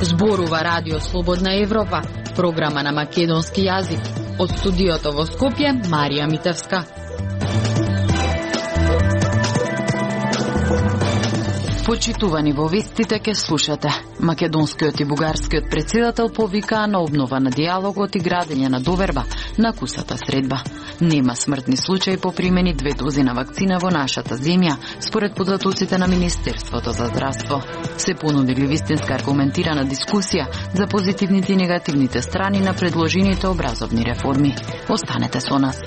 Зборува Радио Слободна Европа, програма на македонски јазик. Од студиото во Скопје, Марија Митевска. Почитувани во вестите ке слушате. Македонскиот и бугарскиот председател повикаа на обнова на диалогот и градење на доверба на кусата средба. Нема смртни случаи по примени 2 дози на вакцина во нашата земја, според податоците на Министерството за здравство. Се понудили вистинска аргументирана дискусија за позитивните и негативните страни на предложените образовни реформи. Останете со нас.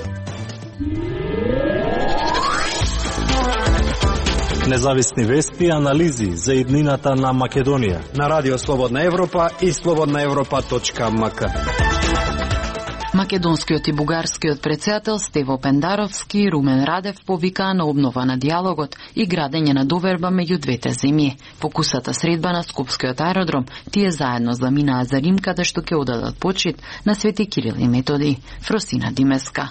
Независни вести и анализи за иднината на Македонија на Радио Слободна Европа и slobodnaevropa.mk. Македонскиот и бугарскиот председател Стево Пендаровски и Румен Радев повикаа на обнова на диалогот и градење на доверба меѓу двете земји. По кусата средба на Скопскиот аеродром, тие заедно заминаа за Рим, каде што ќе одадат почит на Свети Кирил и Методи. Фросина Димеска.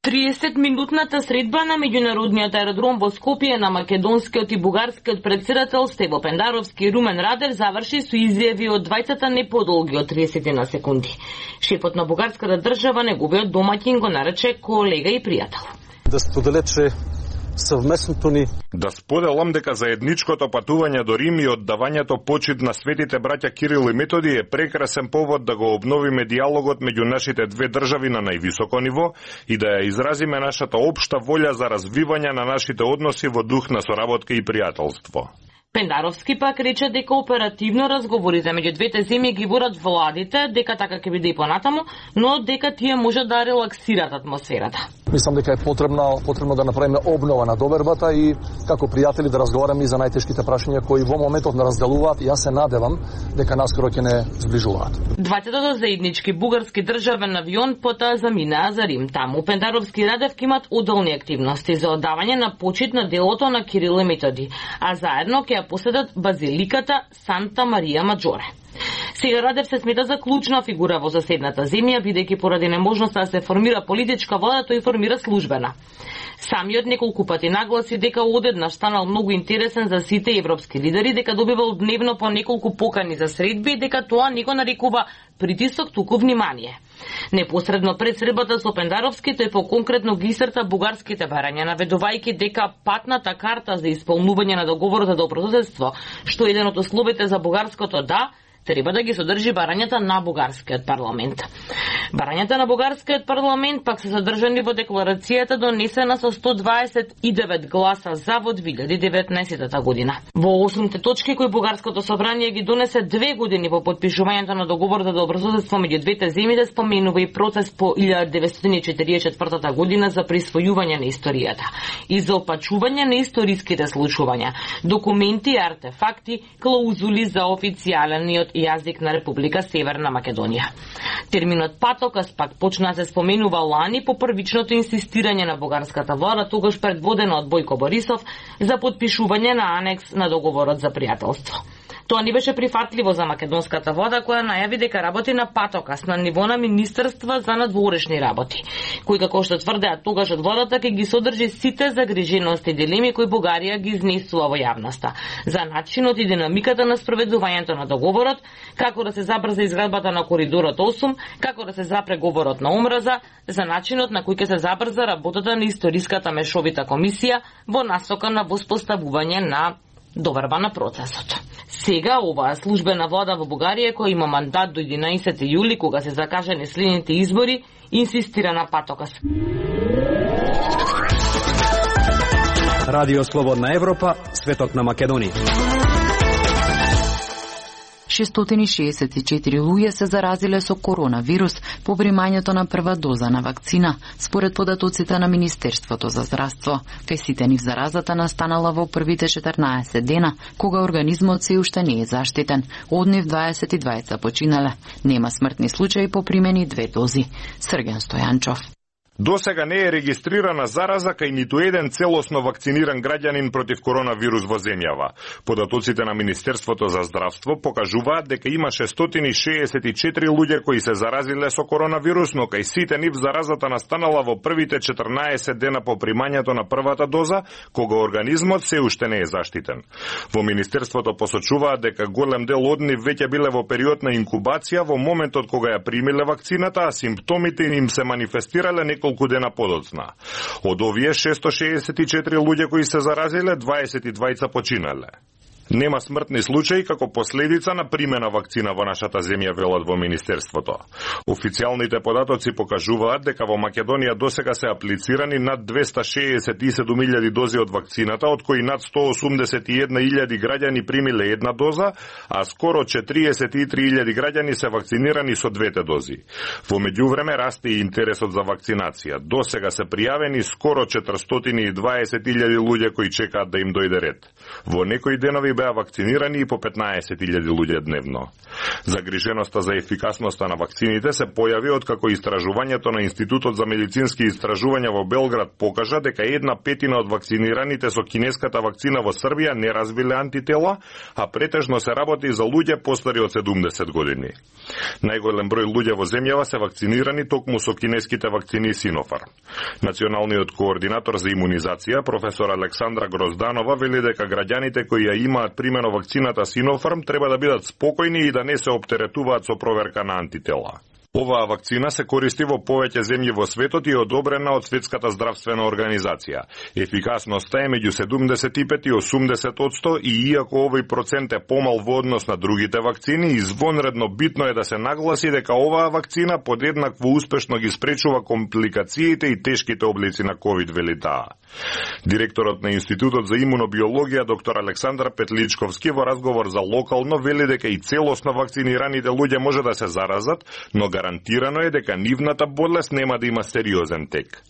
30-минутната средба на меѓународниот аеродром во Скопје на македонскиот и бугарскиот председател Стево Пендаровски и Румен Радев заврши со изјави од двајцата не подолги од 30 на секунди. Шефот на бугарската држава, неговиот домаќин, го нарече колега и пријател. Да споделече совместното ни. Да споделам дека заедничкото патување до Рим и оддавањето почит на светите браќа Кирил и Методи е прекрасен повод да го обновиме диалогот меѓу нашите две држави на највисоко ниво и да ја изразиме нашата општа волја за развивање на нашите односи во дух на соработка и пријателство. Пендаровски пак рече дека оперативно разговорите меѓу двете земји ги водат владите, дека така ќе биде и понатаму, но дека тие може да релаксират атмосферата. Мислам дека е потребно да направиме обнова на довербата и како пријатели да разговараме и за најтешките прашања кои во моментот не разделуваат и јас се надевам дека наскоро ќе не зближуваат. Двајцата заеднички бугарски државен авион потоа заминаа за Рим. Таму Пендаровски и Радев имат одделни активности за оддавање на почит на делото на Кирил и Методи, а заедно ќе ја поседат базиликата Санта Марија Маджоре. Сега Радев се смета за клучна фигура во соседната земја, бидејќи поради неможноста да се формира политичка влада, тој формира службена. Самиот неколку пати нагласи дека одеднаш станал многу интересен за сите европски лидери, дека добивал дневно по неколку покани за средби, дека тоа не го нарекува притисок, туку внимание. Непосредно пред средбата со Пендаровски, тој по-конкретно ги исцрта бугарските барања, наведувајќи дека патната карта за исполнување на договорот за добрососедство, што е еден од условите за бугарското да, треба да ги содржи барањата на бугарскиот парламент. Барањата на бугарскиот парламент пак се содржани во декларацијата донесена со 129 гласа за во 2019 година. Во 8 точки кои бугарското собрание ги донесе 2 години по подпишувањето на договорот за добрососедство меѓу двете земји, да споменува и процес по 1944 година за присвојување на историјата и за опачување на историските случувања, документи и артефакти, клаузули за официјалниот јазик на Република Северна Македонија. Терминот патокас пак почна да се споменува лани по првичното инсистирање на бугарската влада, тогаш предводена од Бојко Борисов, за подпишување на анекс на договорот за пријателство. Тоа не беше прифатливо за македонската влада, која најави дека работи на патокас на ниво на Министерства за надворешни работи, кој, како што тврдеа тогаш од владата, ќе ги содржи сите загрижености и дилеми кои Бугарија ги изнесува во јавноста за начинот и динамиката на спроведувањето на договорот, како да се забрза изградбата на коридорот 8, како да се запре говорот на омраза, за начинот на кој ќе се забрза работата на историската мешовита комисија во насока на воспоставување на доверба на процесот. Сега оваа службена влада во Бугарија, која има мандат до 11 јули, кога се закажани следните избори, инсистира на патокас. Радио Слободна Европа, светот на Македонија. 664 луѓе се заразиле со коронавирус по примањето на прва доза на вакцина, според податоците на Министерството за здравство. Кај сите нив заразата настанала во првите 14 дена, кога организмот се уште не е заштитен. Од нив 22 починале. Нема смртни случаи по примени 2 дози. Срген Стојанчов. Досега не е регистрирана зараза кај ниту еден целосно вакциниран граѓанин против коронавирус во земјава. Податоците на Министерството за здравство покажуваат дека имаше 164 луѓе кои се заразиле со коронавирус, но кај сите нив заразата настанала во првите 14 дена по примањето на првата доза, кога организмот се уште не е заштитен. Во Министерството посочуваат дека голем дел од нив веќе биле во период на инкубација во моментот кога ја примиле вакцината, а симптомите им се манифестирале неколку дена подоцна. Од овие 664 луѓе кои се заразиле, 22 починале. Нема смртни случаи како последица на примена вакцина во нашата земја, велат во Министерството. Официјалните податоци покажуваат дека во Македонија досега се аплицирани над 267.000 дози од вакцината, од кои над 181.000 граѓани примиле една доза, а скоро 43.000 граѓани се вакцинирани со двете дози. Во меѓувреме расте и интересот за вакцинација. Досега се пријавени скоро 420.000 луѓе кои чекаат да им дојде ред. Во некои денови беа вакцинирани и по 15.000 луѓе дневно. Загриженоста за ефикасноста на вакцините се појави откако истражувањето на Институтот за медицински истражувања во Белград покажа дека 1/5 од вакцинираните со кинеската вакцина во Србија не развиле антитела, а претежно се работи за луѓе постари од 70 години. Најголем број луѓе во земјава се вакцинирани токму со кинеските вакцини Синофарм. Националниот координатор за имунизација, професор Александра Грозданова, вели дека граѓаните кои ја имаат примено вакцината Синофарм треба да бидат спокојни и да не се оптеретуваат со проверка на антитела. Оваа вакцина се користи во повеќе земји во светот и е одобрена од Светската здравствена организација. Ефикасноста е меѓу 75 и 80% и иако овој процент е помал во однос на другите вакцини, извонредно битно е да се нагласи дека оваа вакцина подеднакво успешно ги спречува компликациите и тешките облици на ковид, вели таа. Директорот на Институтот за имунобиологија доктор Александар Петличковски во разговор за локално вели дека и целосно вакцинираните луѓе може да се заразат, но гарантирано е дека нивната болест нема да има сериозен тек.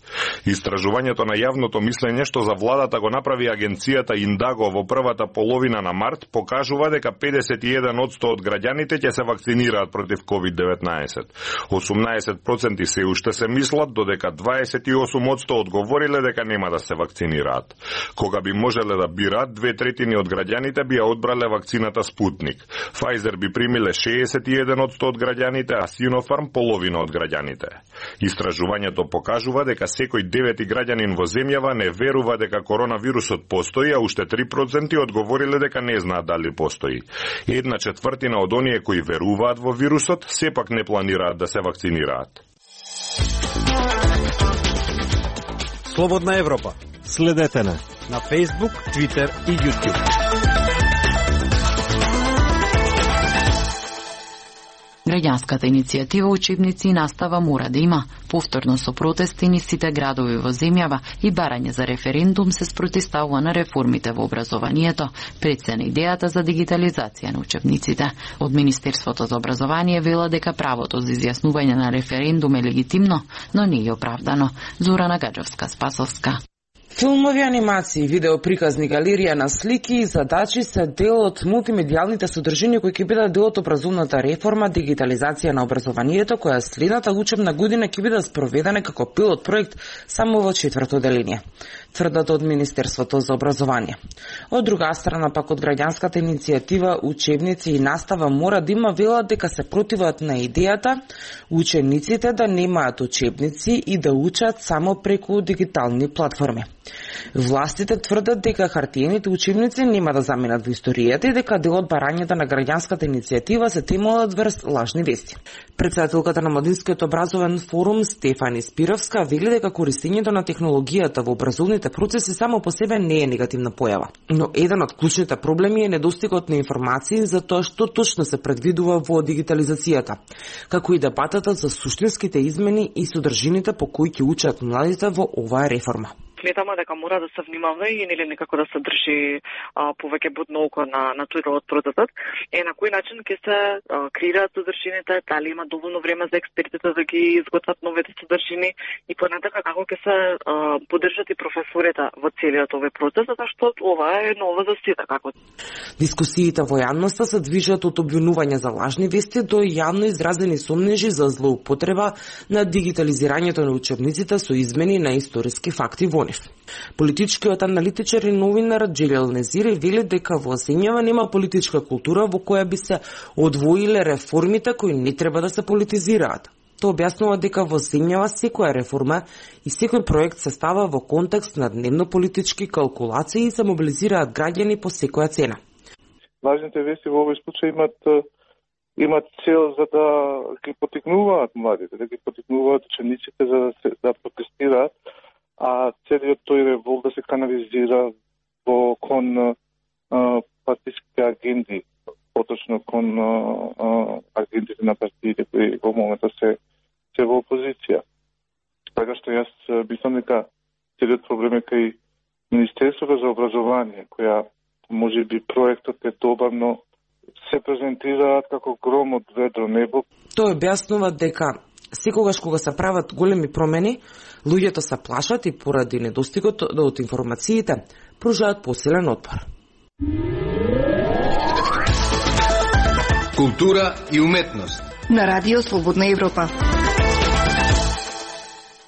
Истражувањето на јавното мислење што за владата го направи агенцијата Индаго во првата половина на март покажува дека 51% од граѓаните ќе се вакцинираат против COVID-19. 18% се уште се мислат, додека 28% одговориле дека нема да се вакцинираат. Кога би можеле да бираат, 2/3 од граѓаните би ја одбрале вакцината Спутник. Pfizer би примиле 61% од граѓаните, а Синофарм половина од граѓаните. Истражувањето покажува дека секој 9 граѓанин во земјава не верува дека коронавирусот постои, а уште 3% одговориле дека не знаат дали постои. 1/4 од оние кои веруваат во вирусот сепак не планираат да се вакцинираат. Слободна Европа. Следете на Facebook, Twitter и YouTube. Граѓанската иницијатива Учебници и настава мора да има. Повторно со протести низ сите градови во земјава и барање за референдум се спротивстава на реформите во образованието, пред се на идејата за дигитализација на учебниците. Од Министерството за образование вела дека правото за изјаснување на референдум е легитимно, но не е оправдано. Зорана Гаджевска-Спасовска. Филмови, анимации, видеоприказни, галерија на слики и задачи се дел од мултимедијалните содржини кои ќе бидат дел од образовната реформа, дигитализација на образованието, која следната учебна година ќе биде спроведена како пилот проект само во 4-то деление. Тврдат од Министерството за образование. Од друга страна, пак од граѓанската иницијатива Учебници и настава мора да има велат дека се противат на идејата учениците да немаат учебници и да учат само преку дигитални платформи. Властите тврдат дека хартиените учебници нема да заменат во историјата и дека дел од барањата на граѓанската иницијатива се темелат врз лажни вести. Претседателката на Младинскиот образовен форум Стефани Спировска вели дека користењето на технологијата во образовните процеси само по себе не е негативна појава, но еден од клучните проблеми е недостигот на информации за тоа што точно се предвидува во дигитализацијата, како и дебатата за суштинските измени и содржините по кои ќе учат младите во оваа реформа. Сметаме дека мора да се внимава и нели некако да се држи повеќе будно око на тој дел од процесот. На кој начин ќе се креираат содржините, дали има доволно време за експертите да ги изготват новите содржини и понатака како ќе се поддржат и професорите во целиот овој процес, зашто ова е ново за сите како. Дискусиите во јавноста се движат од обвинување за лажни вести до јавно изразени сомнежи за злоупотреба на дигитализирањето на учебниците со измени на историски факти во нив. Политичкиот аналитичар и новинар Джелел Незири вели дека во земјава нема политичка култура во која би се одвоиле реформите кои не треба да се политизираат. Тоа објаснува дека во земјава секоја реформа и секој проект се става во контекст на дневно-политички калкулации и се мобилизираат граѓани по секоја цена. Важните вести во овој случај имат цел за да ги поттикнуваат младите, да ги поттикнуваат учениците за да протестираат, а целиот тој револт да се канализира кон партиски агенди, поточно кон агендите на партиите кои во моментот се во опозиција. Така што јас мислам дека целиот проблем е кај Министерството за образование, која можеби проектот е добар, но се презентираат како гром од ведро небо. Тој објаснува дека секогаш кога се прават големи промени, луѓето се плашат и поради недостигот од информациите пружаат посилен отпор. Култура и уметност на Радио Слободна Европа.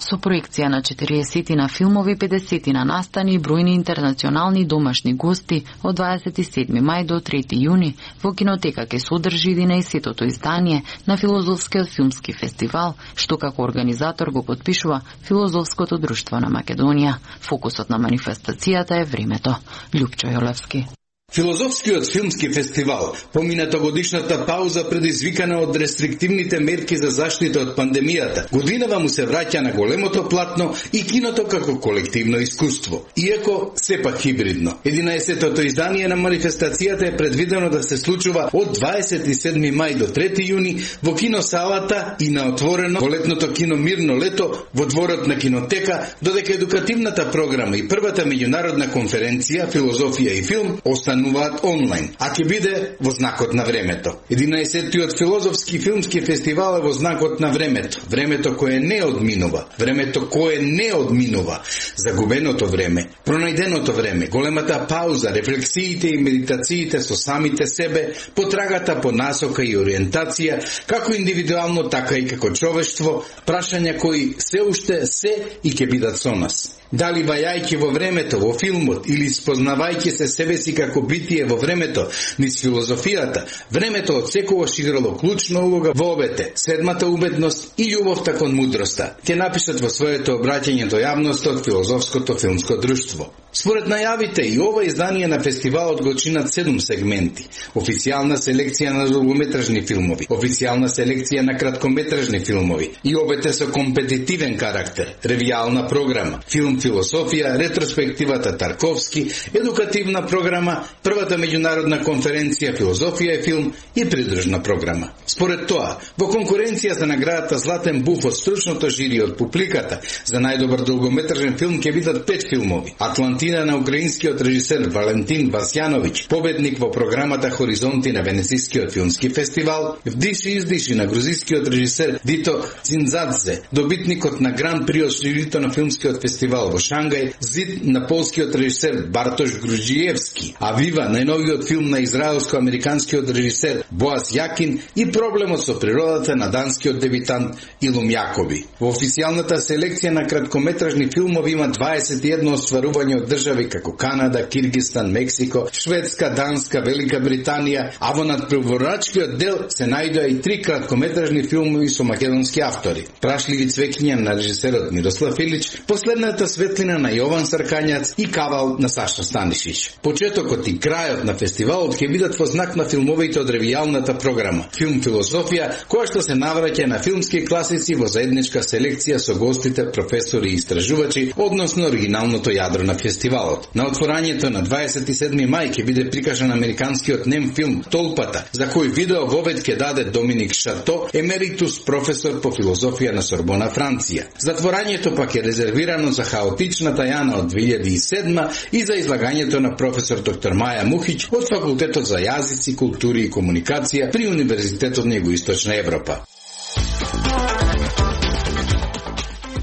Со проекција на 40 филмови, 50 настани и бројни интернационални домашни гости од 27 мај до 3 јуни во кинотека ќе се одржи 11-тото издание на Филозофскиот филмски фестивал, што како организатор го потпишува Филозофското друштво на Македонија. Фокусот на манифестацијата е времето. Љупчо Јолевски. Филозофскиот филмски фестивал, помината годишната пауза предизвикана од рестриктивните мерки за заштита од пандемијата, годинава му се враќа на големото платно и киното како колективно искуство, иако сепак хибридно. 11-тото издание на манифестацијата е предвидено да се случува од 27 мај до 3 јуни во киносалата и на отворено во летното кино Мирно лето во дворот на кинотека, додека едукативната програма и првата меѓународна конференција Филозофија и филм остануваат онлайн, а ќе биде во знакот на времето. 11-тиот филозофски филмски фестивал е во знакот на времето. Времето кое не одминува. Времето кое не одминува. Загубеното време, пронајденото време, големата пауза, рефлексиите и медитациите со самите себе, потрагата по насока и ориентација, како индивидуално, така и како човештво, прашања кои се уште се и ќе бидат со нас. Дали вајајќи во времето, во филмот, или спознавајќи се себе си како битие во времето, низ филозофијата, времето од секогаш играло клучна улога во обете, седмата уметност и љубовта кон мудроста, ќе напишат во своето обраќање до јавноста од Филозофското филмско друштво. Според најавите и ова издание на фестивалот го чинат 7 сегменти. Официјална селекција на долгометражни филмови, официјална селекција на краткометражни филмови и обете со компетитивен карактер, ревијална програма, филм Философија, ретроспективата Тарковски, едукативна програма, првата меѓународна конференција Филозофија и филм и придружна програма. Според тоа, во конкуренција за наградата Златен буф од стручното жири од публиката за најдобар долгометражен филм ќе бидат 5 филмови. Атлантина на украинскиот режисер Валентин Васјановиќ, победник во програмата Хоризонти на Венецискиот филмски фестивал, Вдиши издиши на грузискиот режисер Дито Дзиндзадзе, добитникот на Гран при од жирито на филмскиот фестивал во Шангај, Зид на полскиот режисер Бартош Груџиевски, а Вива, најновиот филм на израелско-американскиот режисер Боаз Јакин и Проблемот со природата на данскиот дебитант Илум Јакоби. Во официјалната селекција на краткометражни филмови има 21 остварување од држави како Канада, Киргистан, Мексико, Шведска, Данска, Велика Британија, а во надпреварачкиот дел се најдоа и 3 краткометражни филмови со македонски автори. Прашливи цвеќиња на режисерот Мирослав Илич, Последната светлина на Јован Саркањац и Кавал на Саша Станишич. Почетокот и крајот на фестивалот ќе бидат во знак на филмовите од ревијалната програма Филм Философија, која што се навраќа на филмски класици во заедничка селекција со гостите, професори и истражувачи, односно оригиналното јадро на фестивалот. фестивалот. На отворањето на 27 мај ќе биде прикажан американскиот нем филм Толпата, за кој видео вовед ќе даде Доминик Шато, емеритус професор по филозофија на Сорбона, Франција. Затворањето пак е резервирано за хаотичната Јана од 2007 и за излагањето на професор доктор Маја Мухиќ од Факултетот за јазици, култури и комуникација при Универзитетот на Југоисточна Европа.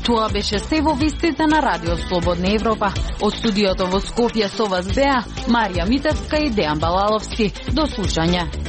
Тоа беше се во вестите на Радио Слободна Европа. Од студиото во Скопје со вас беа Марија Митевска и Дејан Балаловски. До слушање.